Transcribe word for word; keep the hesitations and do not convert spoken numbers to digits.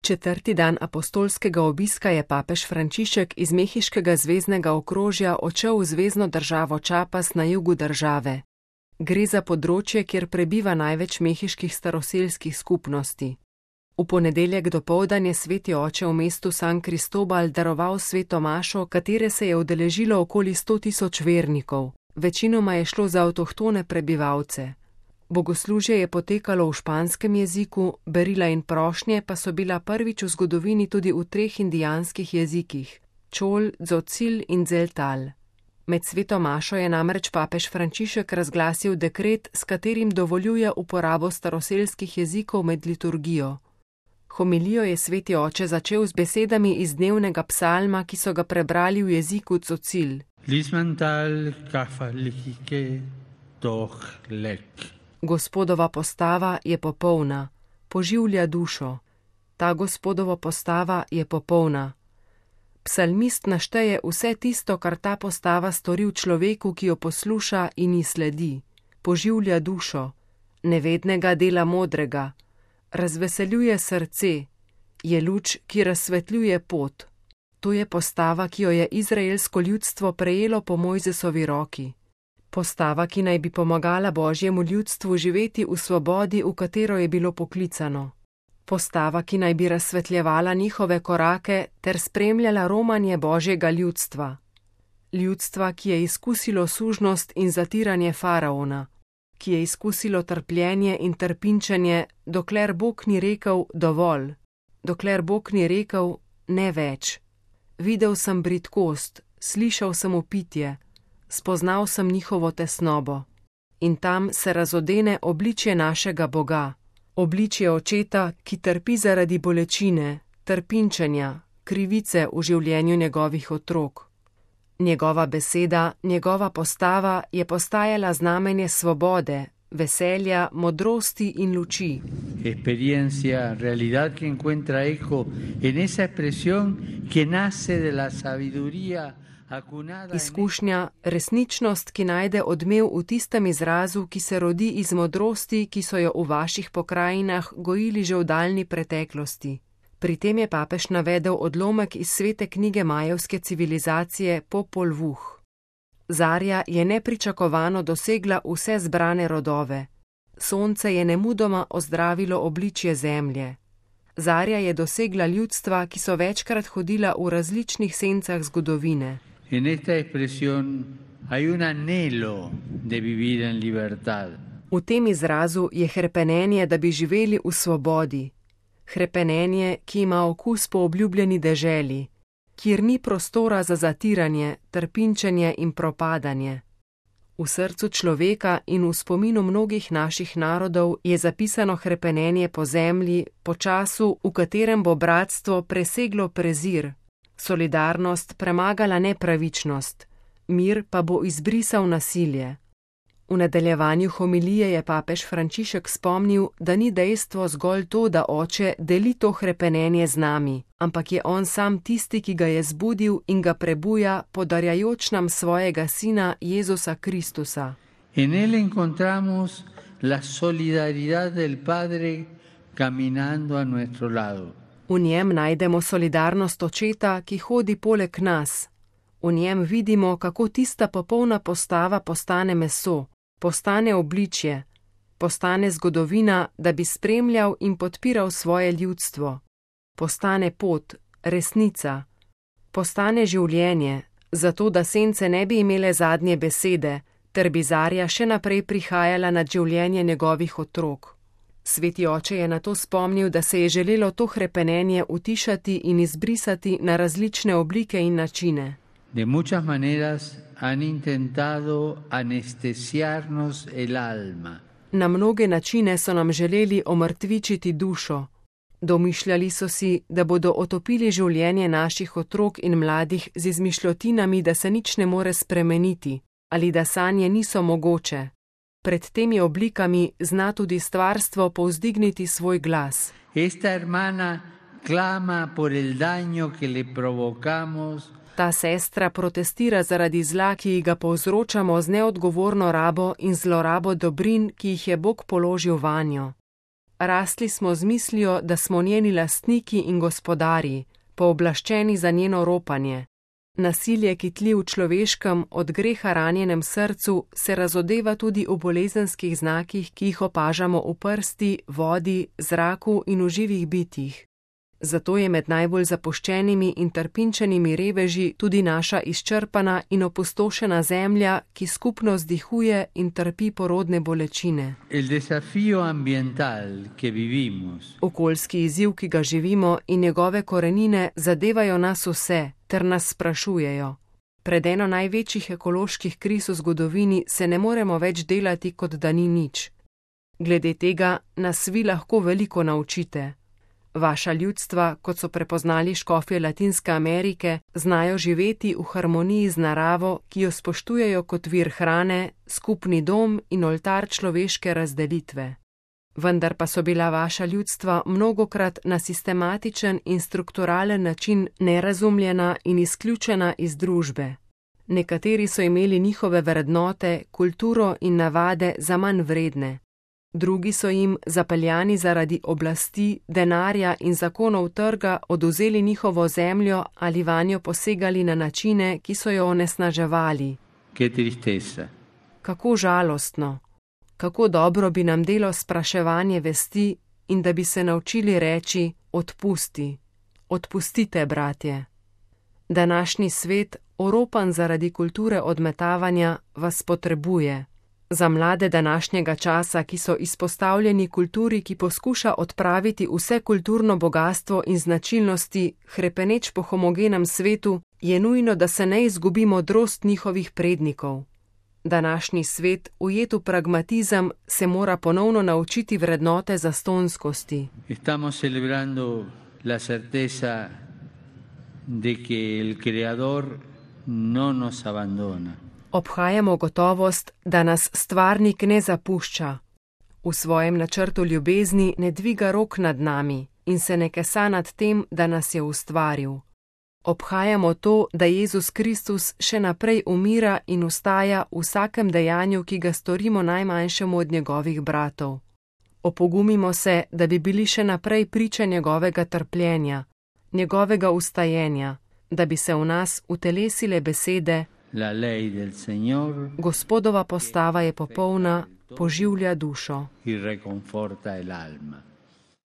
Četrti dan apostolskega obiska je papež Frančišek iz mehiškega zveznega okrožja odšel v zvezno državo Chiapas na jugu države. Gre za področje, kjer prebiva največ mehiških staroselskih skupnosti. V ponedeljek dopoldan je sveti oče v mestu San Cristobal daroval sveto mašo, katere se je udeležilo okoli sto tisoč vernikov. Večinoma je šlo za avtohtone prebivalce. Bogoslužje je potekalo v španskem jeziku, berila in prošnje pa so bila prvič v zgodovini tudi v treh indijanskih jezikih: čol, dzocil in dzeltal. Med sveto mašo je namreč papež Frančišek razglasil dekret, s katerim dovoljuje uporabo staroselskih jezikov med liturgijo. Homilijo je sveti oče začel z besedami iz dnevnega psalma, ki so ga prebrali v jeziku dzocil. Gospodova postava je popolna, poživlja dušo. Ta gospodova postava je popolna. Psalmist našteje vse tisto, kar ta postava stori v človeku, ki jo posluša in ji sledi. Poživlja dušo, nevednega dela modrega, razveseljuje srce, je luč, ki razsvetljuje pot. To je postava, ki jo je izraelsko ljudstvo prejelo po Mojzesovi roki. Postava, ki naj bi pomagala Božjemu ljudstvu živeti v svobodi, v katero je bilo poklicano. Postava, ki naj bi razsvetljevala njihove korake ter spremljala romanje Božjega ljudstva. Ljudstva, ki je izkusilo sužnost in zatiranje faraona, ki je izkusilo trpljenje in trpinčenje, dokler Bog ni rekel dovolj, dokler Bog ni rekel ne več. Videl sem bridkost, slišal sem vpitje, spoznal sem njihovo tesnobo. In tam se razodene obličje našega Boga, obličje očeta, ki trpi zaradi bolečine, trpinčenja, krivice v življenju njegovih otrok. Njegova beseda, njegova postava je postajala znamenje svobode, veselja, modrosti in luči. Experiencia, realidad que encuentra eco en esa expresión que nace de la sabiduría. Izkušnja, resničnost, ki najde odmev v tistem izrazu, ki se rodi iz modrosti, ki so jo v vaših pokrajinah gojili že v daljni preteklosti. Pri tem je papež navedel odlomek iz svete knjige majevske civilizacije Popol Vuh. Zarja je nepričakovano dosegla vse zbrane rodove. Sonce je nemudoma ozdravilo obličje zemlje. Zarja je dosegla ljudstva, ki so večkrat hodila v različnih sencah zgodovine. En esta expresión hay un anhelo de vivir en libertad. V tem izrazu je hrepenenje, da bi živeli v svobodi. Hrepenenje, ki ima okus po obljubljeni deželi, kjer ni prostora za zatiranje, trpinčenje in propadanje. V srcu človeka in v spominu mnogih naših narodov je zapisano hrepenenje po zemlji, po času, v katerem bo bratstvo preseglo prezir, solidarnost premagala nepravičnost, mir pa bo izbrisal nasilje. V nadaljevanju homilije je papež Frančišek spomnil, da ni dejstvo zgolj to, da oče deli to hrepenenje z nami, ampak je on sam tisti, ki ga je zbudil in ga prebuja, podarjajoč nam svojega sina Jezusa Kristusa. En él encontramos la solidaridad del Padre caminando a nuestro lado. V njem najdemo solidarnost očeta, ki hodi poleg nas. V njem vidimo, kako tista popolna postava postane meso, postane obličje, postane zgodovina, da bi spremljal in podpiral svoje ljudstvo. Postane pot, resnica, postane življenje, zato da sence ne bi imele zadnje besede, ter bi zarja še naprej prihajala nad življenje njegovih otrok. Sveti oče je nato spomnil, da se je želelo to hrepenenje utišati in izbrisati na različne oblike in načine. De muchas maneras han intentado anestesiarnos el alma. Na mnoge načine so nam želeli omrtvičiti dušo. Domišljali so si, da bodo otopili življenje naših otrok in mladih z izmišljotinami, da se nič ne more spremeniti ali da sanje niso mogoče. Pred temi oblikami zna tudi stvarstvo povzdigniti svoj glas. Esta hermana clama por el daño que le provocamos. Ta sestra protestira zaradi zla, ki ga povzročamo z neodgovorno rabo in zlorabo dobrin, ki jih je Bog položil vanjo. rasli smo z mislijo, da smo njeni lastniki in gospodarji, pooblaščeni za njeno ropanje. Nasilje, ki tli v človeškem, od greha ranjenem srcu, se razodeva tudi v bolezenskih znakih, ki jih opažamo v prsti, vodi, zraku in v živih bitjih. Zato je med najbolj zapuščenimi in trpinčenimi reveži tudi naša izčrpana in opustošena zemlja, ki skupno vzdihuje in trpi porodne bolečine. El desafío ambiental que vivimos. Okoljski izziv, ki ga živimo, in njegove korenine zadevajo nas vse, ter nas sprašujejo. Pred eno največjih ekoloških kriz v zgodovini se ne moremo več delati, kot da ni nič. Glede tega nas vi lahko veliko naučite. Vaša ljudstva, kot so prepoznali škofje Latinske Amerike, znajo živeti v harmoniji z naravo, ki jo spoštujejo kot vir hrane, skupni dom in oltar človeške razdelitve. Vendar pa so bila vaša ljudstva mnogokrat na sistematičen in strukturalen način nerazumljena in izključena iz družbe. Nekateri so imeli njihove vrednote, kulturo in navade za manj vredne. Drugi so jim, zapeljani zaradi oblasti, denarja in zakonov trga, odvzeli njihovo zemljo ali vanjo posegali na načine, ki so jo onesnaževali. Qué tristeza. Kako žalostno. Kako dobro bi nam delo spraševanje vesti in da bi se naučili reči: odpusti. Odpustite, bratje. Današnji svet, oropan zaradi kulture odmetavanja, vas potrebuje. Za mlade današnjega časa, ki so izpostavljeni kulturi, ki poskuša odpraviti vse kulturno bogastvo in značilnosti, hrepeneč po homogenem svetu, je nujno, da se ne izgubi modrost njihovih prednikov. Današnji svet, ujet v pragmatizem, se mora ponovno naučiti vrednote zastonskosti. Estamos celebrando la certeza de que el Creador no nos abandona. Obhajamo gotovost, da nas stvarnik ne zapušča. V svojem načrtu ljubezni ne dviga rok nad nami in se ne kesa nad tem, da nas je ustvaril. Obhajamo to, da Jezus Kristus še naprej umira in vstaja v vsakem dejanju, ki ga storimo najmanjšemu od njegovih bratov. Opogumimo se, da bi bili še naprej priče njegovega trpljenja, njegovega ustajenja, da bi se v nas utelesile besede: La ley del Señor, Gospodova postava je popolna, poživlja dušo. y reconforta el alma.